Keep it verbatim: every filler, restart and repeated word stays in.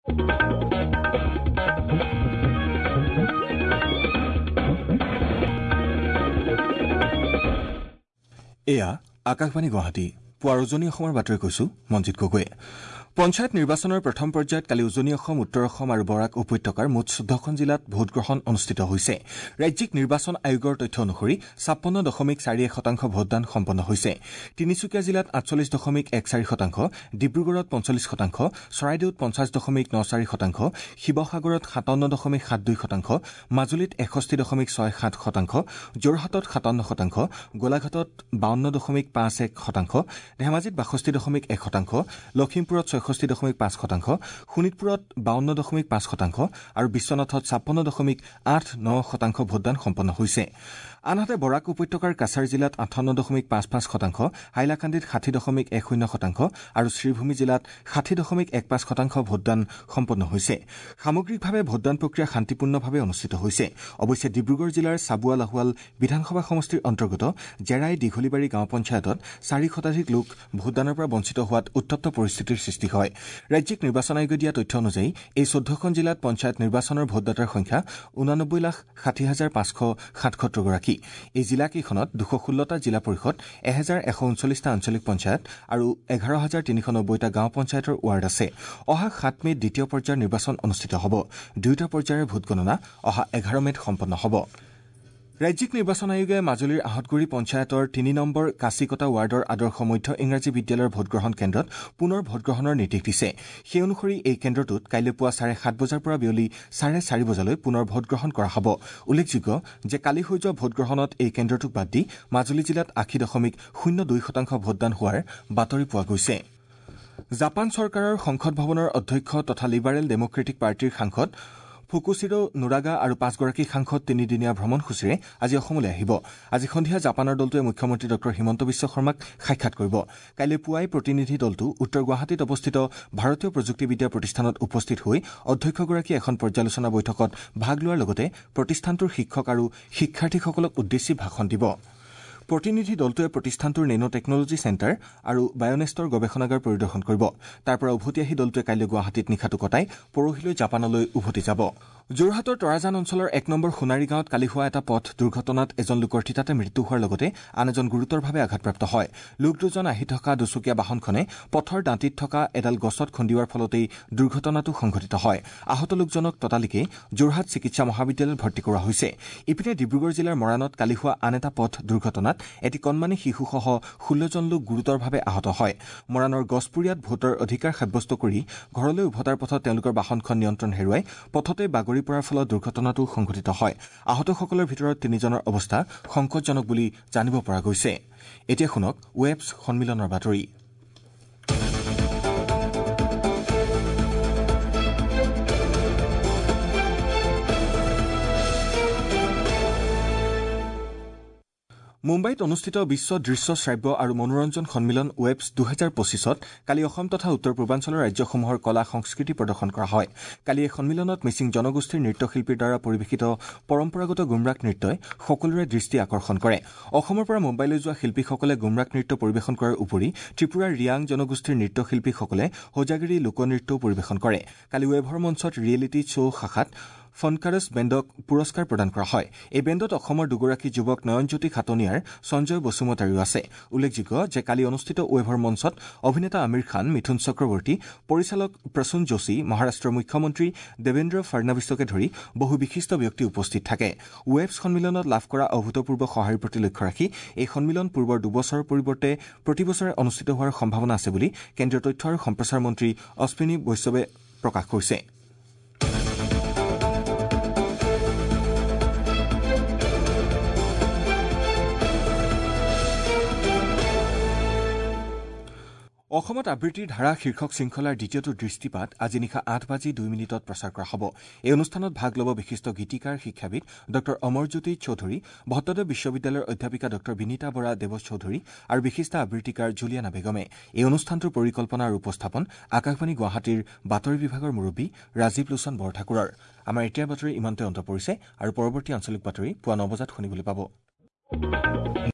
এয়া আকাশবাণী গুৱাহাটী। পুৱাৰ উজনি অসমৰ বাতৰি কৈছো মঞ্জিত গগৈয়ে। পঞ্চায়ত নিৰ্বাচনৰ প্ৰথম পৰ্যায়ত কালি উজনি অসম, উত্তৰ অসম আৰু বৰাক উপত্যকাৰ মুঠ চৈধ্যখন জিলাত ভোটগ্ৰহণ অনুষ্ঠিত হৈছে। ৰাজ্যিক নিৰ্বাচন আয়োগৰ তথ্য অনুসৰি ছাপন্ন দশমিক চাৰি এক শতাংশ ভোটদান সম্পন্ন হৈছে। তিনিচুকীয়া জিলাত আঠচল্লিছ দশমিক এক চাৰি শতাংশ, ডিব্ৰুগড়ত পঞ্চল্লিছ শতাংশ, চৰাইদেউত পঞ্চাছ দশমিক ন চাৰি শতাংশ, শিৱসাগৰত সাতাৱন্ন দশমিক সাত দুই শতাংশ, মাজুলীত এষষ্ঠি দশমিক ছয় সাত শতাংশ, যোৰহাটত সাতাৱন্ন শতাংশ, গোলাঘাটত বাৱন্ন দশমিক পাঁচ এক শতাংশ, ধেমাজিত বাষষ্ঠি দশমিক এক শতাংশ, লখিমপুৰত ছয়ষষ্ঠি দশমিক পাঁচ শতাংশ, শোণিতপুৰত বাৱন্ন দশমিক পাঁচ শতাংশ আৰু বিশ্বনাথত ছাপন্ন দশমিক আঠ ন শতাংশ ভোটদান সম্পন্ন হৈছে। আনহাতে বৰাক উপত্যকাৰ কাছাৰ জিলাত আঠাৱন্ন দশমিক পাঁচ পাঁচ শতাংশ, হাইলাকান্দিত ষাঠি দশমিক এক শূন্য শতাংশ আৰু শ্ৰীভূমি জিলাত ষাঠি দশমিক এক পাঁচ শতাংশ ভোটদান সম্পন্ন হৈছে। সামগ্ৰিকভাৱে ভোটদান প্ৰক্ৰিয়া শান্তিপূৰ্ণভাৱে অনুষ্ঠিত হৈছে। অৱশ্যে ডিব্ৰুগড় জিলাৰ চাবুৱা লাহোৱাল বিধানসভা সমষ্টিৰ অন্তৰ্গত জেৰাই দীঘলীবাৰী গাঁও পঞ্চায়তত চাৰি শতাধিক লোক ভোটদানৰ পৰা বঞ্চিত হোৱাত উত্তপ্ত পৰিস্থিতিৰ সৃষ্টি হয়। ৰাজ্যিক নিৰ্বাচন আয়োগে দিয়া তথ্য অনুযায়ী এই চৈধ্যখন জিলাত পঞ্চায়ত নিৰ্বাচনৰ ভোটদাতাৰ সংখ্যা ঊনানব্বৈ লাখ ষাঠি হাজাৰ পাঁচশ সাতসত্তৰগৰাকী। এই জিলাকেইখনত দুশ ষোল্লটা জিলা পৰিষদ, এহেজাৰ এশ ঊনচল্লিছটা আঞ্চলিক পঞ্চায়ত আৰু এঘাৰ হাজাৰ তিনিশ নব্বৈটা গাঁও পঞ্চায়তৰ ৱাৰ্ড আছে। অহা সাত মে'ত দ্বিতীয় পৰ্যায়ৰ নিৰ্বাচন অনুষ্ঠিত হ'ব। দুয়োটা পৰ্যায়ৰ ভোটগণনা অহা এঘাৰ মে'ত সম্পন্ন হ'ব। ৰাজ্যিক নিৰ্বাচন আয়োগে মাজুলীৰ আহঁতগুৰি পঞ্চায়তৰ তিনি নম্বৰ কাচিকটা ৱাৰ্ডৰ আদৰ্শ মধ্য ইংৰাজী বিদ্যালয়ৰ ভোটগ্ৰহণ কেন্দ্ৰত পুনৰ ভোটগ্ৰহণৰ নিৰ্দেশ দিছে। সেই অনুসৰি এই কেন্দ্ৰটোত কাইলৈ পুৱা চাৰে সাত বজাৰ পৰা বিয়লি চাৰে চাৰি বজালৈ পুনৰ ভোটগ্ৰহণ কৰা হ'ব। উল্লেখযোগ্য যে কালি হৈ যোৱা ভোটগ্ৰহণত এই কেন্দ্ৰটোক বাদ দি মাজুলী জিলাত আশী দশমিক শূন্য দুই শতাংশ ভোটদান হোৱাৰ বাতৰি পোৱা গৈছে। জাপান চৰকাৰৰ সংসদ ভৱনৰ অধ্যক্ষ তথা লিবাৰেল ডেমক্ৰেটিক পাৰ্টীৰ সাংসদ ফুকুচিৰো নুৰাগা আৰু পাঁচগৰাকী সাংসদ তিনিদিনীয়া ভ্ৰমণসূচীৰে আজি অসমলৈ আহিব। আজি সন্ধিয়া জাপানৰ দলটোৱে মুখ্যমন্ত্ৰী ডঃ হিমন্ত বিশ্ব শৰ্মাক সাক্ষাৎ কৰিব। কাইলৈ পুৱাই প্ৰতিনিধি দলটো উত্তৰ গুৱাহাটীত অৱস্থিত ভাৰতীয় প্ৰযুক্তিবিদ্যা প্ৰতিষ্ঠানত উপস্থিত হৈ অধ্যক্ষগৰাকীয়ে এখন পৰ্যালোচনা বৈঠকত ভাগ লোৱাৰ লগতে প্ৰতিষ্ঠানটোৰ শিক্ষক আৰু শিক্ষাৰ্থীসকলক উদ্দেশ্যি ভাষণ দিব। প্ৰতিনিধি দলটোৱে প্ৰতিষ্ঠানটোৰ নেন' টেকনলজি চেণ্টাৰ আৰু বায়'নেষ্টৰ গৱেষণাগাৰ পৰিদৰ্শন কৰিব। তাৰ পৰা উভতি আহি দলটোৱে কাইলৈ গুৱাহাটীত নিশাটো কটাই পৰহিলৈ জাপানলৈ উভতি যাব। যোৰহাটৰ তৰাজান অঞ্চলৰ এক নম্বৰ সোণাৰী গাঁৱত কালি হোৱা এটা পথ দুৰ্ঘটনাত এজন লোকৰ থিতাতে মৃত্যু হোৱাৰ লগতে আন এজন গুৰুতৰভাৱে আঘাতপ্ৰাপ্ত হয়। লোক দুজন আহি থকা দুচকীয়া বাহনখনে পথৰ দাঁতিত থকা এডাল গছত খুন্দিওৱাৰ ফলতেই দুৰ্ঘটনাটো সংঘটিত হয়। আহত লোকজনক ততালিকে যোৰহাট চিকিৎসা মহাবিদ্যালয়ত ভৰ্তি কৰোৱা হৈছে। ইপিনে ডিব্ৰুগড় জিলাৰ মৰাণত কালি হোৱা আন এটা পথ দুৰ্ঘটনাত এটি কণমানি শিশুসহ ষোল্লজন লোক গুৰুতৰভাৱে আহত হয়। মৰাণৰ গছপুৰীয়াত ভোটৰ অধিকাৰ সাব্যস্ত কৰি ঘৰলৈ উভতাৰ পথত তেওঁলোকৰ বাহনখন নিয়ন্ত্ৰণ হেৰুৱাই পথতে বাগৰি পৰাৰ ফলত দুৰ্ঘটনাটো সংঘটিত হয়। আহতসকলৰ ভিতৰত তিনিজনৰ অৱস্থা সংকটজনক বুলি জানিব পৰা গৈছে। এতিয়া শুনক ৱেবছ সন্মিলনৰ বাতৰি। মুম্বাইত অনুষ্ঠিত বিশ্ব দৃশ্য শ্ৰাব্য আৰু মনোৰঞ্জন সন্মিলন ৱেবছ দুহেজাৰ পঁচিছত কালি অসম তথা উত্তৰ পূৰ্বাঞ্চলৰ ৰাজ্যসমূহৰ কলা সংস্কৃতি প্ৰদৰ্শন কৰা হয়। কালি এই সন্মিলনত মিচিং জনগোষ্ঠীৰ নৃত্যশিল্পীৰ দ্বাৰা পৰিৱেশিত পৰম্পৰাগত গুমৰাগ নৃত্যই সকলোৰে দৃষ্টি আকৰ্ষণ কৰে। অসমৰ পৰা মুম্বাইলৈ যোৱা শিল্পীসকলে গুমৰাগ নৃত্য পৰিৱেশন কৰাৰ উপৰি ত্ৰিপুৰাৰ ৰিয়াং জনগোষ্ঠীৰ নৃত্যশিল্পীসকলে হোজাগিৰি লোকনৃত্যও পৰিৱেশন কৰে। কালি ৱেভৰ মঞ্চত ৰিয়েলিটি শ্ব' শাখাত ফনকাৰছ বেণ্ডক পুৰস্কাৰ প্ৰদান কৰা হয়। এই বেণ্ডত অসমৰ দুগৰাকী যুৱক নয়নজ্যোতি খাটনিয়াৰ, সঞ্জয় বসুমতাৰীও আছে। উল্লেখযোগ্য যে কালি অনুষ্ঠিত ৱেভৰ মঞ্চত অভিনেতা আমিৰ খান, মিথুন চক্ৰৱৰ্তী, পৰিচালক প্ৰসূন যোশী, মহাৰাষ্ট্ৰৰ মুখ্যমন্ত্ৰী দেৱেন্দ্ৰ ফাড়নাভিছকে ধৰি বহু বিশিষ্ট ব্যক্তি উপস্থিত থাকে। ৱেবছ সন্মিলনত লাভ কৰা অভূতপূৰ্ব সঁহাৰিৰ প্ৰতি লক্ষ্য ৰাখি এই সন্মিলন পূৰ্বৰ দুবছৰৰ পৰিৱৰ্তে প্ৰতিবছৰে অনুষ্ঠিত হোৱাৰ সম্ভাৱনা আছে বুলি কেন্দ্ৰীয় তথ্য আৰু সম্প্ৰচাৰ মন্ত্ৰী অশ্বিনী বৈষ্ণৱে প্ৰকাশ কৰিছে। অসমত আবৃত্তিৰ ধাৰা শীৰ্ষক শৃংখলাৰ দ্বিতীয়টো দৃষ্টিপাত আজি নিশা আঠ বাজি দুই মিনিটত প্ৰচাৰ কৰা হ'ব। এই অনুষ্ঠানত ভাগ ল'ব বিশিষ্ট গীতিকাৰ শিক্ষাবিদ ডঃ অমৰজ্যোতি চৌধুৰী, ভট্টদেৱ বিশ্ববিদ্যালয়ৰ অধ্যাপিকা ডঃ বিনীতা বৰা দেৱ চৌধুৰী আৰু বিশিষ্ট আবৃত্তিকাৰ জুলিয়ানা বেগমে। এই অনুষ্ঠানটোৰ পৰিকল্পনা আৰু উপস্থাপন আকাশবাণী গুৱাহাটীৰ বাতৰি বিভাগৰ মুৰব্বী ৰাজীৱ লোচন বৰঠাকুৰৰ। আমাৰ এতিয়াৰ বাতৰি ইমানতে অন্ত পৰিছে আৰু পৰৱৰ্তী আঞ্চলিক বাতৰি পুৱা ন বজাত শুনিবলৈ পাব।